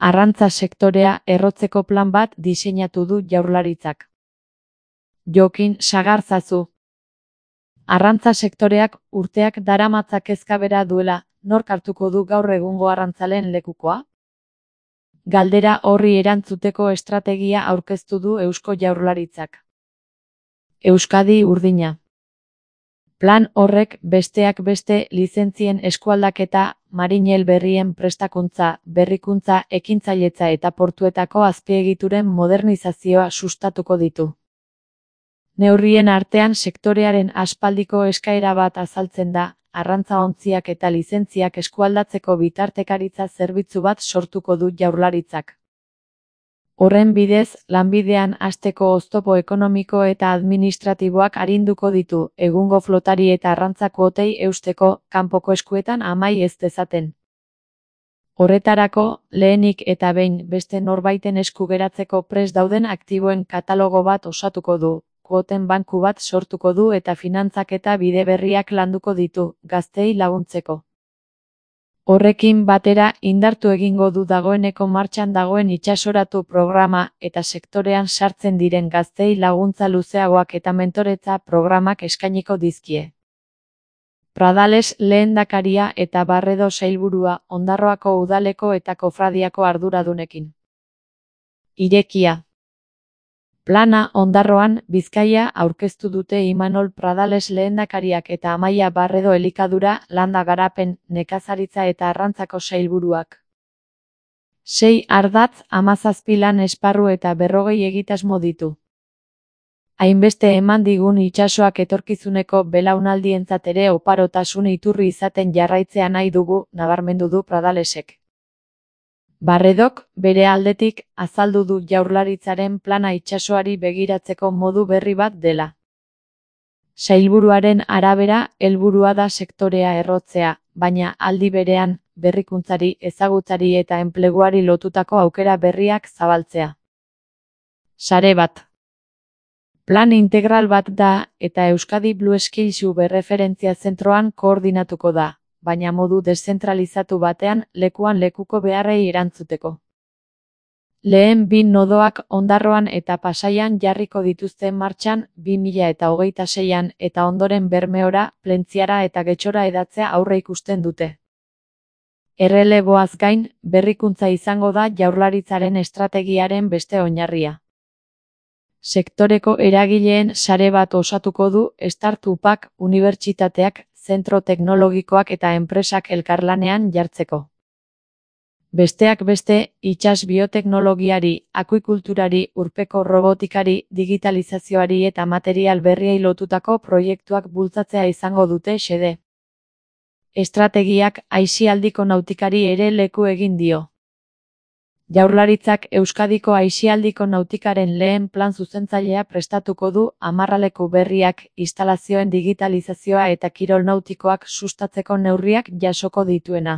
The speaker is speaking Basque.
Arrantza sektorea errotzeko plan bat diseinatu du Jaurlaritzak. Jokin Sagarzazu. Arrantza sektoreak urteak daramatza kezka bera duela, nork hartuko du gaur egungo arrantzaleen lekukoa? Galdera horri erantzuteko estrategia aurkeztu du Eusko Jaurlaritzak. Euskadi urdina. Plan horrek besteak beste lizentzien eskualdaketa, marinel berrien prestakuntza, berrikuntza, ekintzailetza eta portuetako azpiegituren modernizazioa sustatuko ditu. Neurrien artean sektorearen aspaldiko eskaera bat azaltzen da, arrantza-ontziak eta lizentziak eskualdatzeko bitartekaritza zerbitzu bat sortuko du Jaurlaritzak. Horren bidez, lanbidean hasteko oztopo ekonomiko eta administratiboak arinduko ditu, egungo flotari eta arrantza kuotei eusteko, kanpoko eskuetan amai ez dezaten. Horretarako, lehenik eta behin beste norbaiten esku geratzeko prest dauden aktiboen katalogo bat osatuko du, kuoten banku bat sortuko du eta finantzaketa bide berriak landuko ditu, gazteei laguntzeko. Horrekin batera indartu egingo du dagoeneko martxan dagoen itsasoratu programa eta sektorean sartzen diren gazteei laguntza luzeagoak eta mentoretza programak eskainiko dizkie. Pradales lehendakaria eta Barredo sailburua Ondarroako udaleko eta kofradiako arduradunekin. Irekia. Plana Ondarroan, Bizkaia aurkeztu dute Imanol Pradales lehendakariak eta Amaia Barredo elikadura, landa garapen, nekazaritza eta arrantzako sailburuak. 6 ardatz, 17 lan esparru eta 40 egitasmo ditu. Hainbeste eman digun itsasoak etorkizuneko belaunaldientzat ere oparotasun iturri izaten jarraitzea nahi dugu, nabarmendu du Pradalesek. Barredok, bere aldetik, azaldu du Jaurlaritzaren plana itsasoari begiratzeko modu berri bat dela. Sailburuaren arabera, helburua da sektorea errotzea, baina aldi berean, berrikuntzari, ezagutzari eta enpleguari lotutako aukera berriak zabaltzea. Sare bat. Plan integral bat da, eta Euskadi Blue Skills erreferentzia zentroan koordinatuko da, baina modu deszentralizatu batean, lekuan lekuko beharrei erantzuteko. Lehen 2 nodoak Ondarroan eta Pasaian jarriko dituzte martxan 2026an eta ondoren Bermeora, Plentziara eta Getxora hedatzea aurreikusten dute. Erreleboaz gain, berrikuntza izango da Jaurlaritzaren estrategiaren beste oinarria. Sektoreko eragileen sare bat osatuko du startupak, unibertsitateak, zentro teknologikoak eta enpresak elkarlanean jartzeko. Besteak beste, itsas bioteknologiari, akuikulturari, urpeko robotikari, digitalizazioari eta material berriei lotutako proiektuak bultzatzea izango dute xede. Estrategiak aisialdiko nautikari ere leku egin dio. Jaurlaritzak Euskadiko aisialdiko nautikaren lehen plan zuzentzailea prestatuko du, amarraleku berriak, instalazioen digitalizazioa eta kirol nautikoak sustatzeko neurriak jasoko dituena.